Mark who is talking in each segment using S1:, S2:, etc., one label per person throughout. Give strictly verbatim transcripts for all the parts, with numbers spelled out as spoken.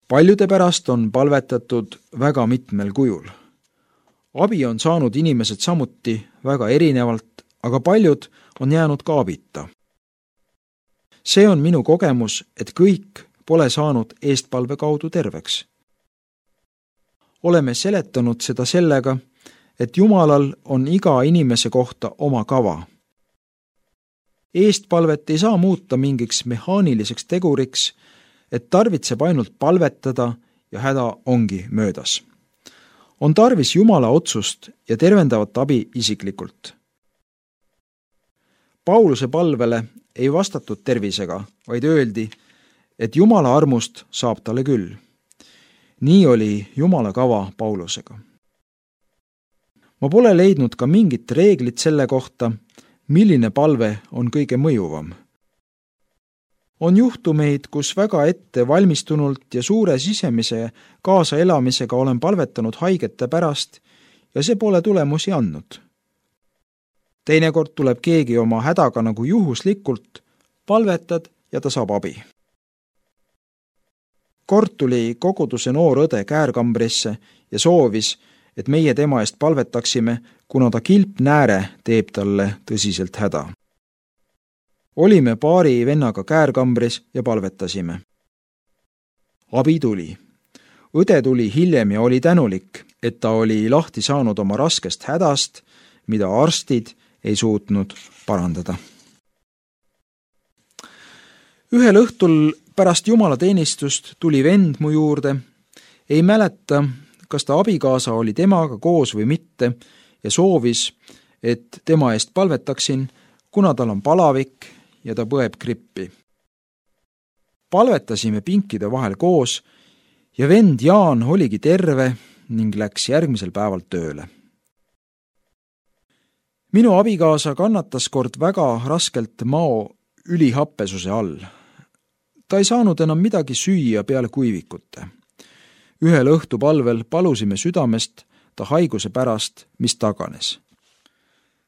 S1: Paljude pärast on palvetatud väga mitmel kujul. Abi on saanud inimesed samuti väga erinevalt, aga paljud on jäänud ka abita. See on minu kogemus, et kõik pole saanud eestpalve kaudu terveks. Oleme seletanud seda sellega, et Jumalal on iga inimese kohta oma kava. Eestpalvet ei saa muuta mingiks mehaaniliseks teguriks, et tarvitseb ainult palvetada ja häda ongi möödas. On tarvis Jumala otsust ja tervendavat abi isiklikult. Pauluse palvele ei vastatud tervisega, vaid öeldi, et Jumala armust saab talle küll. Nii oli Jumala kava Paulusega. Ma pole leidnud ka mingit reeglit selle kohta, milline palve on kõige mõjuvam. On juhtumeid, kus väga ette valmistunult ja suure sisemise kaasaelamisega olen palvetanud haigete pärast ja see pole tulemusi andnud. Teinekord tuleb keegi oma hädaga nagu juhuslikult, palvetad ja ta saab abi. Kord tuli koguduse noor õde käärkambrisse ja soovis, et meie tema eest palvetaksime, kuna ta kilpnääre teeb talle tõsiselt häda. Olime paari vennaga käärkambris ja palvetasime. Abi tuli. Õde tuli hiljem ja oli tänulik, et ta oli lahti saanud oma raskest hädast, mida arstid ei suutnud parandada. Ühel õhtul pärast jumalateenistust tuli vend mu juurde, ei mäleta, kas ta abikaasa oli temaga koos või mitte ja soovis, et tema eest palvetaksin, kuna tal on palavik ja ta põeb grippi. Palvetasime pinkide vahel koos ja vend Jaan oligi terve ning läks järgmisel päeval tööle. Minu abikaasa kannatas kord väga raskelt mao ülihappesuse all. Ta ei saanud enam midagi süüa peale kuivikute. Ühel õhtupalvel palusime südamest ta haiguse pärast, mis taganes.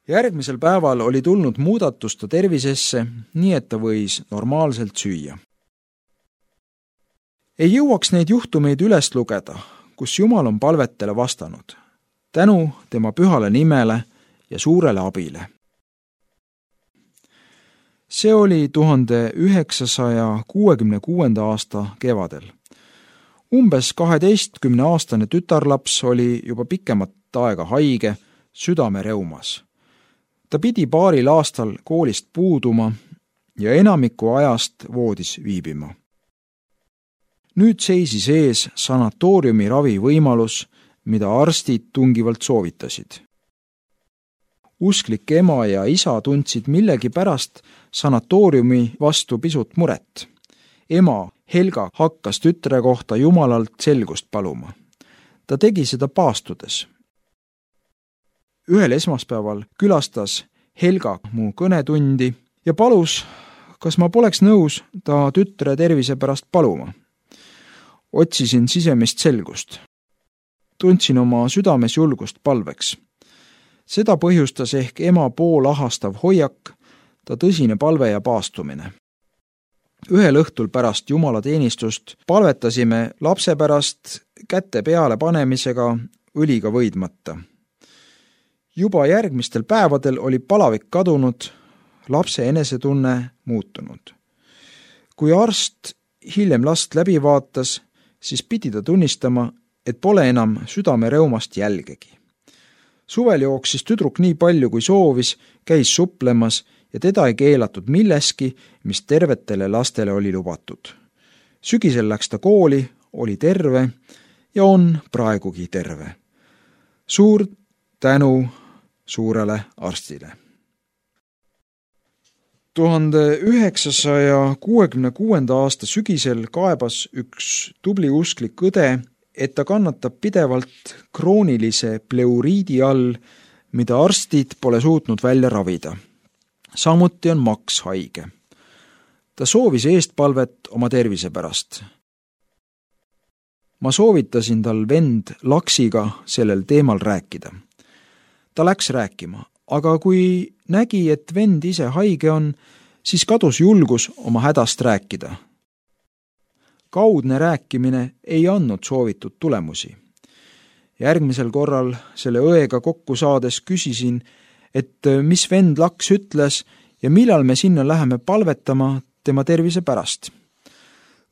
S1: Järgmisel päeval oli tulnud muudatus ta tervisesse, nii et ta võis normaalselt süüa. Ei jõuaks neid juhtumeid üles lugeda, kus Jumal on palvetele vastanud, tänu tema pühale nimele ja suurele abile. See oli tuhande üheksasaja kuuekümne kuuenda aasta kevadel. Umbes kaheteistkümne aastane tütarlaps oli juba pikemat aega haige südamereumas. Ta pidi paaril aastal koolist puuduma ja enamiku ajast voodis viibima. Nüüd seisis ees sanatooriumi ravi võimalus, mida arstid tungivalt soovitasid. Usklik ema ja isa tundsid millegi pärast sanatooriumi vastu pisut muret. Ema Helga hakkas tütre kohta Jumalalt selgust paluma. Ta tegi seda paastudes. Ühel esmaspäeval külastas Helga mu kõnetundi ja palus, kas ma poleks nõus ta tütre tervise pärast paluma. Otsisin sisemist selgust. Tundsin oma südames julgust palveks. Seda põhjustas ehk ema poolahastav hoiak, ta tõsine palve ja paastumine. Ühel õhtul pärast jumalateenistust palvetasime lapse pärast käte peale panemisega õliga võidmata. Juba järgmistel päevadel oli palavik kadunud, lapse enesetunne muutunud. Kui arst hiljem last läbi vaatas, siis pidi ta tunnistama, et pole enam südamereumast jälgegi. Suvel jooksis tüdruk nii palju, kui soovis, käis suplemas ja teda ei keelatud milleski, mis tervetele lastele oli lubatud. Sügisel läks ta kooli, oli terve ja on praegugi terve. Suur tänu suurele arstile. tuhande üheksasaja kuuekümne kuuenda aasta sügisel kaebas üks tubli usklik õde, et ta kannatab pidevalt kroonilise pleuriidi all, mida arstid pole suutnud välja ravida. Samuti on Max haige. Ta soovis eestpalvet oma tervise pärast. Ma soovitasin tal vend Laksiga sellel teemal rääkida. Ta läks rääkima, aga kui nägi, et vend ise haige on, siis kadus julgus oma hädast rääkida. kaudne rääkimine ei andnud soovitud tulemusi. Järgmisel korral selle õega kokku saades küsisin, et mis vend Laks ütles ja millal me sinna läheme palvetama tema tervise pärast.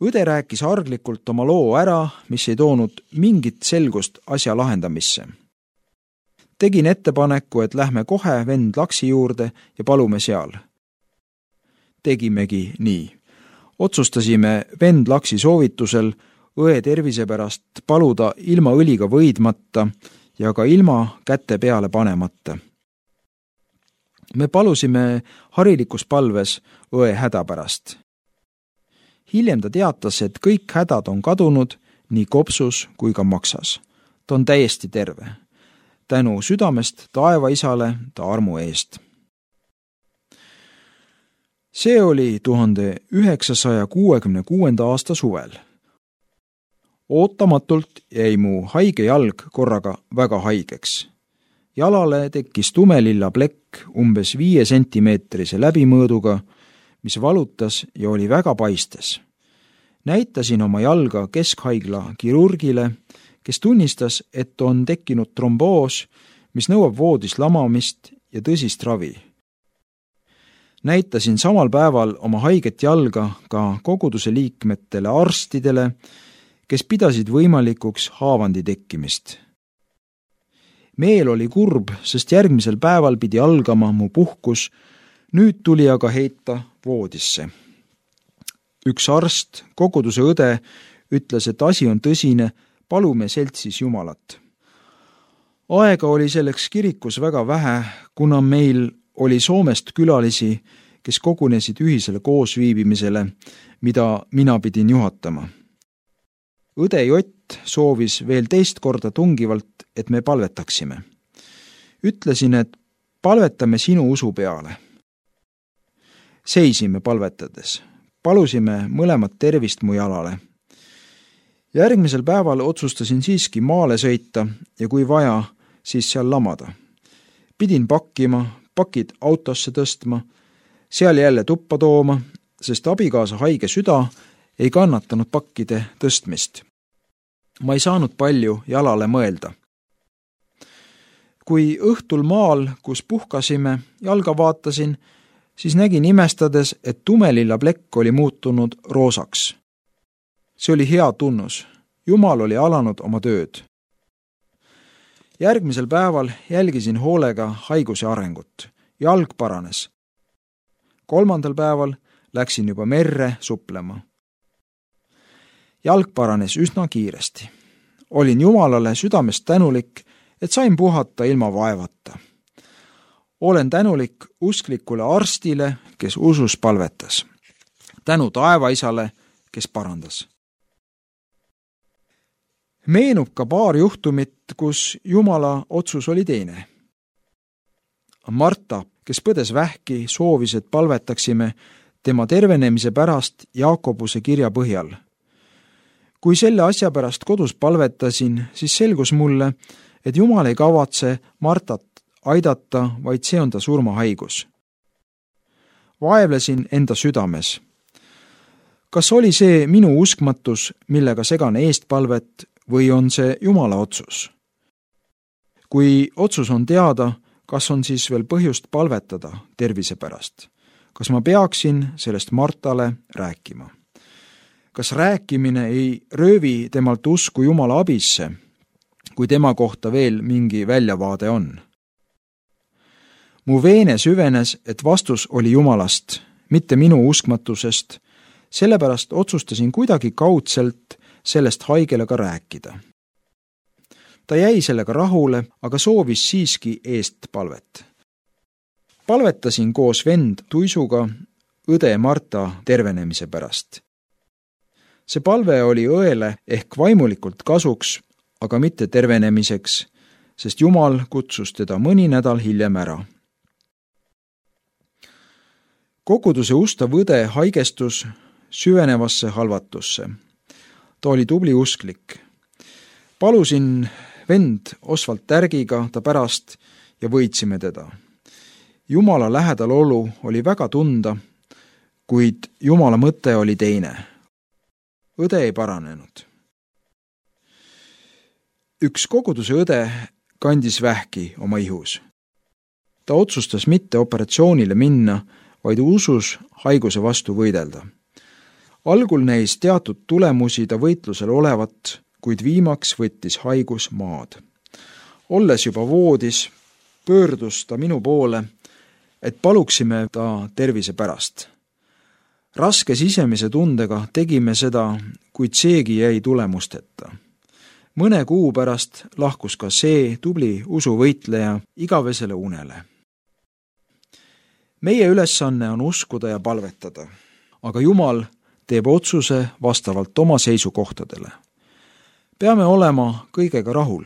S1: Õde rääkis arglikult oma loo ära, mis ei toonud mingit selgust asja lahendamisse. Tegin ettepaneku, et lähme kohe vend Laksi juurde ja palume seal. Tegimegi nii. Otsustasime vend Laksi soovitusel õe tervise pärast paluda ilma õliga võidmata ja ka ilma käte peale panemata. Me palusime harilikus palves õe häda pärast. Hiljem ta teatas, et kõik hädad on kadunud nii kopsus kui ka maksas. Ta on täiesti terve. Tänu südamest taeva isale ta armu eest. See oli tuhande üheksasaja kuuekümne kuuenda aasta suvel. Ootamatult jäi mu haige jalg korraga väga haigeks. Jalale tekkis tumelilla plekk umbes viie sentimeetrise läbimõõduga, mis valutas ja oli väga paistes. Näitasin oma jalga keskhaigla kirurgile, kes tunnistas, et on tekkinud tromboos, mis nõuab voodis lamamist ja tõsist ravi. Näitasin samal päeval oma haiget jalga ka koguduse liikmetele arstidele, kes pidasid võimalikuks haavandi tekkimist. Meel oli kurb, sest järgmisel päeval pidi algama mu puhkus, nüüd tuli aga heita voodisse. Üks arst, koguduse õde, ütles, et asi on tõsine, palume seltsis Jumalat. Aega oli selleks kirikus väga vähe, kuna meil oli Soomest külalisi, kes kogunesid ühisele koosviibimisele, mida mina pidin juhatama. Õde Jott soovis veel teist korda tungivalt, et me palvetaksime. Ütlesin, et palvetame sinu usu peale. Seisime palvetades. Palusime mõlemat tervist mu jalale. Järgmisel päeval otsustasin siiski maale sõita ja kui vaja, siis seal lamada. Pidin pakkima, pakid autosse tõstma, seal jälle tuppa tooma, sest abikaasa haige süda ei kannatanud pakkide tõstmist. Ma ei saanud palju jalale mõelda. Kui õhtul maal, kus puhkasime, jalga vaatasin, siis nägin imestades, et tumelilla plekk oli muutunud roosaks. See oli hea tunnus. Jumal oli alanud oma tööd. Järgmisel päeval jälgisin hoolega haiguse arengut. Jalg paranes. Kolmandal päeval läksin juba merre suplema. Jalg paranes üsna kiiresti. Olin Jumalale südamest tänulik, et sain puhata ilma vaevata. Olen tänulik usklikule arstile, kes usus palvetas. Tänu taevaisale, kes parandas. Meenub ka paar juhtumit, kus Jumala otsus oli teine. Marta, kes põdes vähki, soovis, et palvetaksime tema tervenemise pärast Jaakobuse kirja põhjal. Kui selle asja pärast kodus palvetasin, siis selgus mulle, et Jumal ei kavatse Martat aidata, vaid see on ta surmahaigus. Vaevlesin enda südames. Kas oli see minu uskmatus, millega segan eestpalvet, või on see Jumala otsus? Kui otsus on teada, kas on siis veel põhjust palvetada tervise pärast? Kas ma peaksin sellest Martale rääkima? Kas rääkimine ei röövi temalt usku Jumala abisse, kui tema kohta veel mingi väljavaade on? Mu veene süvenes, et vastus oli Jumalast, mitte minu uskmatusest, sellepärast otsustasin kuidagi kaudselt sellest haigele ka rääkida. Ta jäi sellega rahule, aga soovis siiski eest palvet. Palvetasin koos vend Tuisuga õde Marta tervenemise pärast. See palve oli õele ehk vaimulikult kasuks, aga mitte tervenemiseks, sest Jumal kutsus teda mõni nädal hiljem ära. Koguduse ustav õde haigestus süvenevasse halvatusse. Ta oli tubli usklik. Palusin vend Osvald Tärgiga ta pärast ja võitsime teda. Jumala lähedal olu oli väga tunda, kuid Jumala mõte oli teine. õde ei paranenud. Üks koguduse õde kandis vähki oma ihus. Ta otsustas mitte operatsioonile minna, vaid usus haiguse vastu võidelda. Algul näis teatud tulemusi ta võitlusel olevat, kuid viimaks võttis haigus maad. Olles juba voodis, pöördus ta minu poole, et paluksime ta tervise pärast. Raske sisemise tundega tegime seda, kuid seegi jäi tulemusteta. Mõne kuu pärast lahkus ka see tubli usuvõitleja igavesele unele. Meie ülesanne on uskuda ja palvetada, aga Jumal teeb otsuse vastavalt oma seisukohtadele. Peame olema kõigega rahul.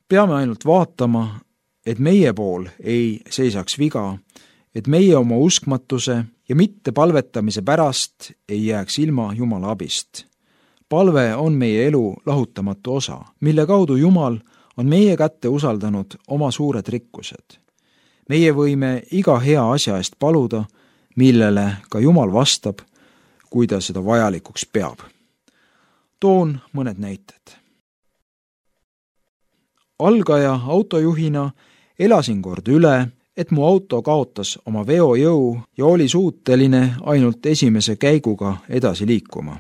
S1: Peame ainult vaatama, et meie pool ei seisaks viga, et meie oma uskmatuse ja mitte palvetamise pärast ei jääks ilma Jumala abist. Palve on meie elu lahutamatu osa, mille kaudu Jumal on meie kätte usaldanud oma suured rikkused. Meie võime iga hea asja eest paluda, millele ka Jumal vastab, kui ta seda vajalikuks peab. Toon mõned näited. Algaja autojuhina elasin kord üle, et mu auto kaotas oma veojõu ja oli suuteline ainult esimese käiguga edasi liikuma.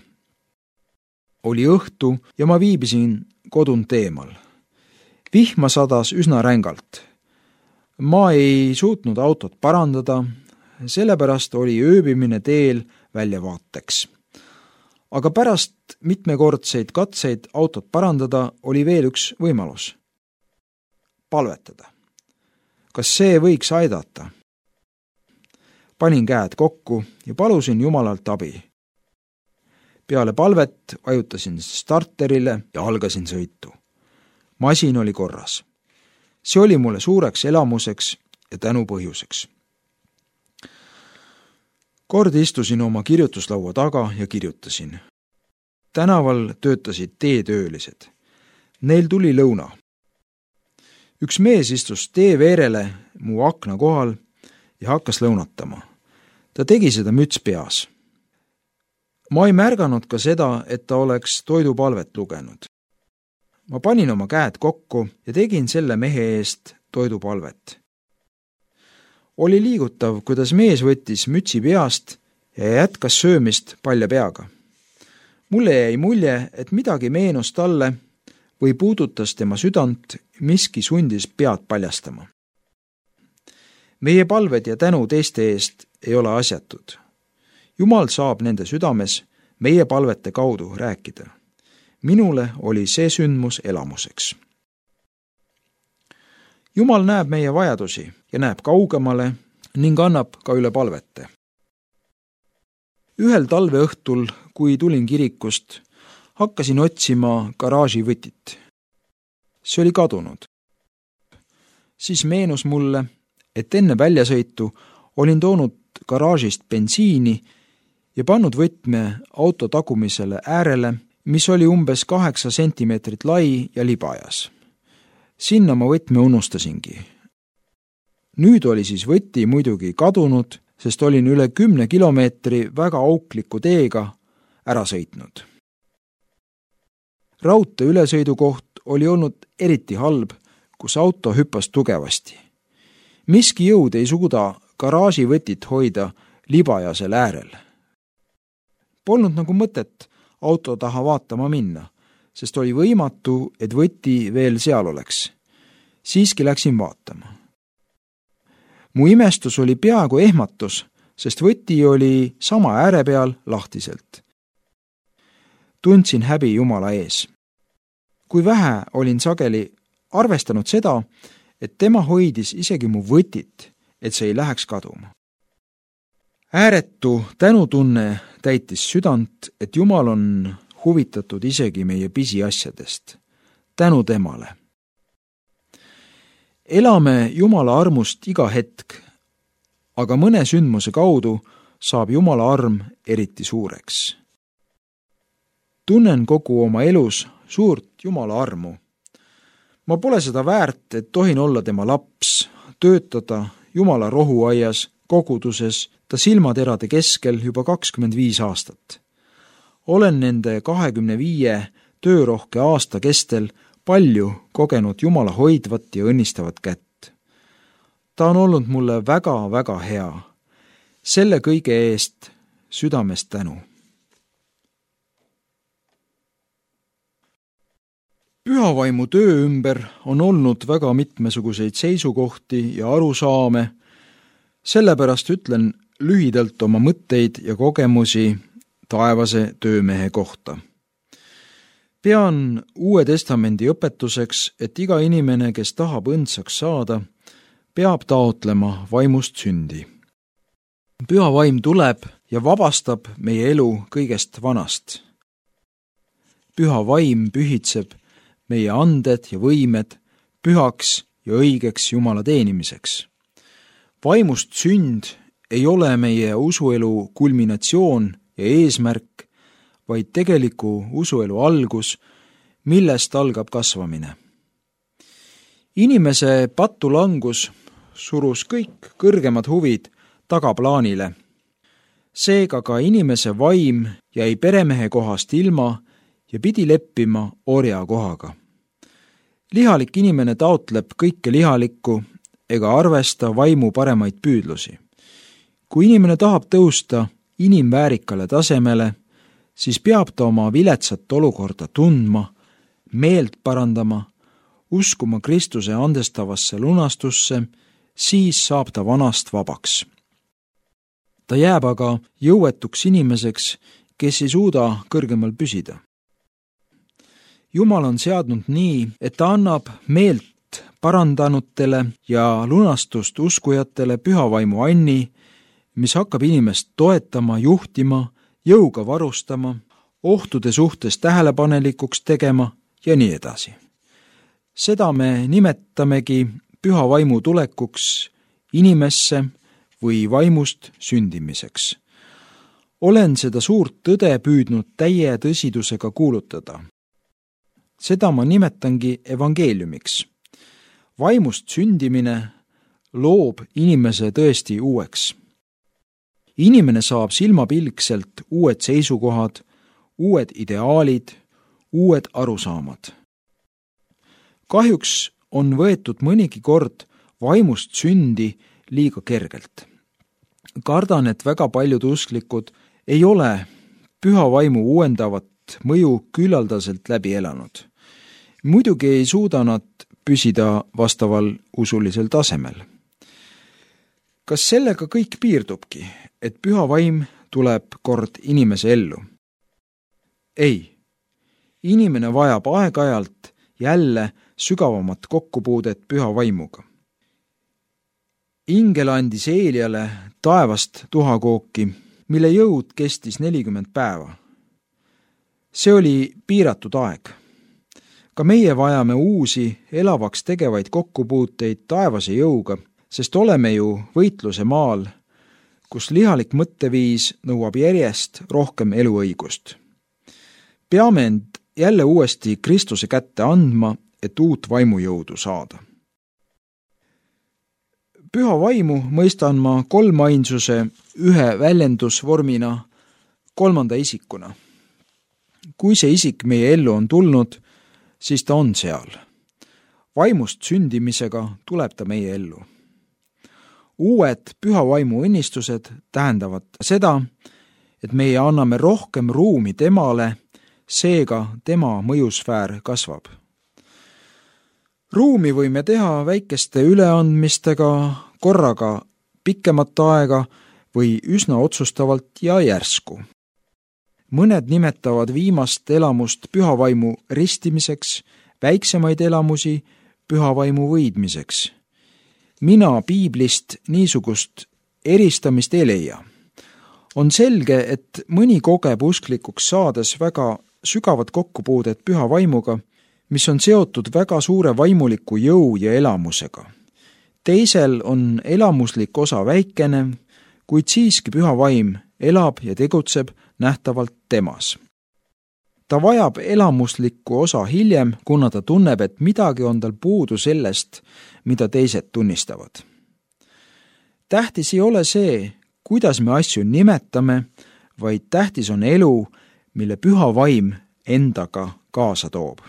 S1: Oli õhtu ja ma viibisin kodunt eemal. Vihma sadas üsna rängalt. Ma ei suutnud autot parandada, sellepärast oli ööbimine teel väljavaateks. Aga pärast mitmekordseid katseid autot parandada oli veel üks võimalus. Palvetada. Kas see võiks aidata? Panin käed kokku ja palusin Jumalalt abi. Peale palvet vajutasin starterile ja algasin sõitu. Masin oli korras. See oli mulle suureks elamuseks ja tänu põhjuseks. Kord istusin oma kirjutuslaua taga ja kirjutasin. Tänaval töötasid teetöölised. Neil tuli lõuna. Üks mees istus tee veerele mu akna kohal ja hakkas lõunatama. Ta tegi seda müts peas. Ma ei märganud ka seda, et ta oleks toidupalvet lugenud. Ma panin oma käed kokku ja tegin selle mehe eest toidupalvet. Oli liigutav, kuidas mees võttis mütsi peast ja jätkas söömist palja peaga. Mulle jäi mulje, et midagi meenus talle või puudutas tema südant, miski sundis pead paljastama. Meie palved ja tänu teiste eest ei ole asjatud. Jumal saab nende südames meie palvete kaudu rääkida. Minule oli see sündmus elamuseks. Jumal näeb meie vajadusi ja näeb kaugemale ning annab ka üle palvete. Ühel talveõhtul, kui tulin kirikust, hakkasin otsima garaaži võtit. See oli kadunud. Siis meenus mulle, et enne väljasõitu olin toonud garaažist bensiini ja pannud võtme auto tagumisele äärele, mis oli umbes kaheksa sentimeetrit lai ja libajas. Sinna ma võtme unustasingi. Nüüd oli siis võti muidugi kadunud, sest olin üle kümne kilomeetri väga aukliku teega ära sõitnud. Raudtee ülesõidukoht oli olnud eriti halb, kus auto hüppas tugevasti. Miski jõud ei suuda garaaži võtit hoida libajasel äärel. Polnud nagu mõtet auto taha vaatama minna, sest oli võimatu, et võti veel seal oleks. Siiski läksin vaatama. Mu imestus oli peaaegu ehmatus, sest võti oli sama ääre peal lahtiselt. Tundsin häbi Jumala ees. Kui vähe olin sageli arvestanud seda, et tema hoidis isegi mu võtit, et see ei läheks kaduma. Ääretu tänutunne täitis südant, et Jumal on huvitatud isegi meie pisiasjadest. Tänu temale. Elame Jumala armust iga hetk, aga mõne sündmuse kaudu saab Jumala arm eriti suureks. Tunnen kogu oma elus suurt Jumala armu. Ma pole seda väärt, et tohin olla tema laps, töötada Jumala rohuaias, koguduses, ta silmaterade keskel juba kakskümmend viis aastat. olen nende kahekümne viie töörohke aasta kestel palju kogenud Jumala hoidvat ja õnnistavat kätt. Ta on olnud mulle väga-väga hea. Selle kõige eest südamest tänu. Pühavaimu töö ümber on olnud väga mitmesuguseid seisukohti ja arusaame, sellepärast ütlen lühidalt oma mõtteid ja kogemusi taevase töömehe kohta. Pean Uue Testamendi õpetuseks, et iga inimene, kes tahab õndsaks saada, peab taotlema vaimust sündi. Püha vaim tuleb ja vabastab meie elu kõigest vanast. Püha vaim pühitseb meie anded ja võimed pühaks ja õigeks Jumala teenimiseks. Vaimust sünd ei ole meie usuelu kulminatsioon ja eesmärk, vaid tegeliku usuelu algus, millest algab kasvamine. Inimese patulangus surus kõik kõrgemad huvid tagaplaanile. Seega ka inimese vaim jäi peremehe kohast ilma ja pidi leppima orja kohaga. Lihalik inimene taotleb kõike lihalikku ega arvesta vaimu paremaid püüdlusi. Kui inimene tahab tõusta inimväärikale tasemele, siis peab ta oma viletsat olukorda tundma, meelt parandama, uskuma Kristuse andestavasse lunastusse, siis saab ta vanast vabaks. Ta jääb aga jõuetuks inimeseks, kes ei suuda kõrgemal püsida. Jumal on seadnud nii, et ta annab meelt parandanutele ja lunastust uskujatele pühavaimu anni, mis hakkab inimest toetama, juhtima, jõuga varustama, ohtude suhtes tähelepanelikuks tegema ja nii edasi. Seda me nimetamegi püha vaimu tulekuks inimesse või vaimust sündimiseks. Olen seda suurt tõde püüdnud täie tõsidusega kuulutada. Seda ma nimetangi evangeeliumiks. Vaimust sündimine loob inimese tõesti uueks. Inimene saab silmapilkselt uued seisukohad, uued ideaalid, uued arusaamad. Kahjuks on võetud mõnigi kord vaimust sündi liiga kergelt. Kardan, et väga paljud usklikud ei ole püha vaimu uuendavat mõju küllaldaselt läbi elanud. Muidugi ei suuda nad püsida vastaval usulisel tasemel. Kas sellega kõik piirdubki, et püha vaim tuleb kord inimese ellu? Ei. Inimene vajab aeg-ajalt jälle sügavamat kokkupuudet püha vaimuga. Ingel andis Eeliale taevast tuhakooki, mille jõud kestis nelikümmend päeva. See oli piiratud aeg. Ka meie vajame uusi elavaks tegevaid kokkupuuteid taevase jõuga, sest oleme ju võitluse maal, kus lihalik mõtteviis nõuab järjest rohkem eluõigust. Peame end jälle uuesti Kristuse kätte andma, et uut vaimujõudu saada. Püha vaimu mõistan ma kolmainsuse ühe väljendusvormina kolmanda isikuna. Kui see isik meie ellu on tulnud, siis ta on seal. Vaimust sündimisega tuleb ta meie ellu. Uued püha vaimu õnnistused tähendavad seda, et meie anname rohkem ruumi temale, seega tema mõjusfäär kasvab. Ruumi võime teha väikeste üleandmistega, korraga pikemat aega või üsna otsustavalt ja järsku. Mõned nimetavad viimast elamust pühavaimu ristimiseks, väiksemaid elamusi pühavaimu võidmiseks. Mina piiblist niisugust eristamist ei leia. On selge, et mõni kogeb usklikuks saades väga sügavat kokkupuudet püha vaimuga, mis on seotud väga suure vaimuliku jõu ja elamusega. Teisel on elamuslik osa väikene, kuid siiski püha vaim elab ja tegutseb nähtavalt temas. Ta vajab elamuslikku osa hiljem, kuna ta tunneb, et midagi on tal puudu sellest, mida teised tunnistavad. Tähtis ei ole see, kuidas me asju nimetame, vaid tähtis on elu, mille püha vaim endaga kaasa toob.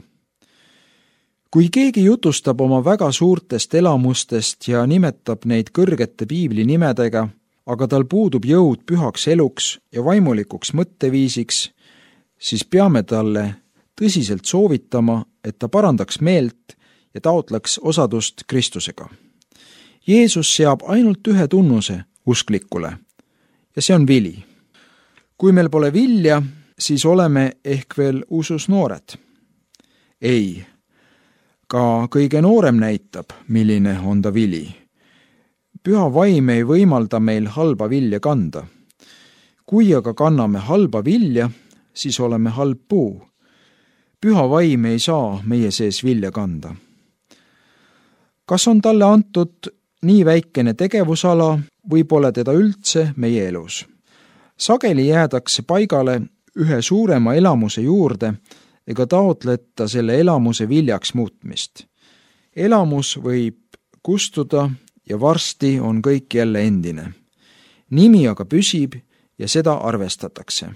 S1: Kui keegi jutustab oma väga suurtest elamustest ja nimetab neid kõrgete piibli nimedega, aga tal puudub jõud pühaks eluks ja vaimulikuks mõtteviisiks, siis peame talle tõsiselt soovitama, et ta parandaks meelt ja taotleks osadust Kristusega. Jeesus seab ainult ühe tunnuse usklikule ja see on vili. Kui meil pole vilja, siis oleme ehk veel usus noored. Ei, ka kõige noorem näitab, milline on ta vili. Püha vaim ei võimalda meil halba vilja kanda. Kui aga kanname halba vilja, siis oleme halb puu. Püha vaim ei saa meie sees vilja kanda. Kas on talle antud nii väikene tegevusala või pole teda üldse meie elus? Sageli jäädakse paigale ühe suurema elamuse juurde ega taotleta selle elamuse viljaks muutmist. Elamus võib kustuda ja varsti on kõik jälle endine. Nimi aga püsib ja seda arvestatakse.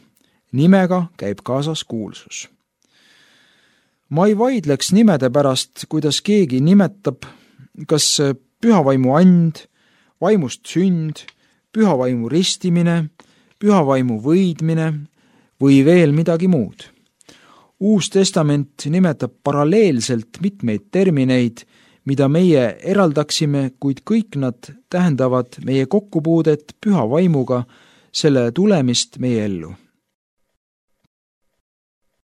S1: Nimega käib kaasas kuulsus. Ma ei vaidleks nimede pärast, kuidas keegi nimetab, kas pühavaimu and, vaimust sünd, pühavaimu ristimine, pühavaimu võidmine või veel midagi muud. Uus testament nimetab paralleelselt mitmeid termineid, mida meie eraldaksime, kuid kõik nad tähendavad meie kokkupuudet püha vaimuga, selle tulemist meie ellu.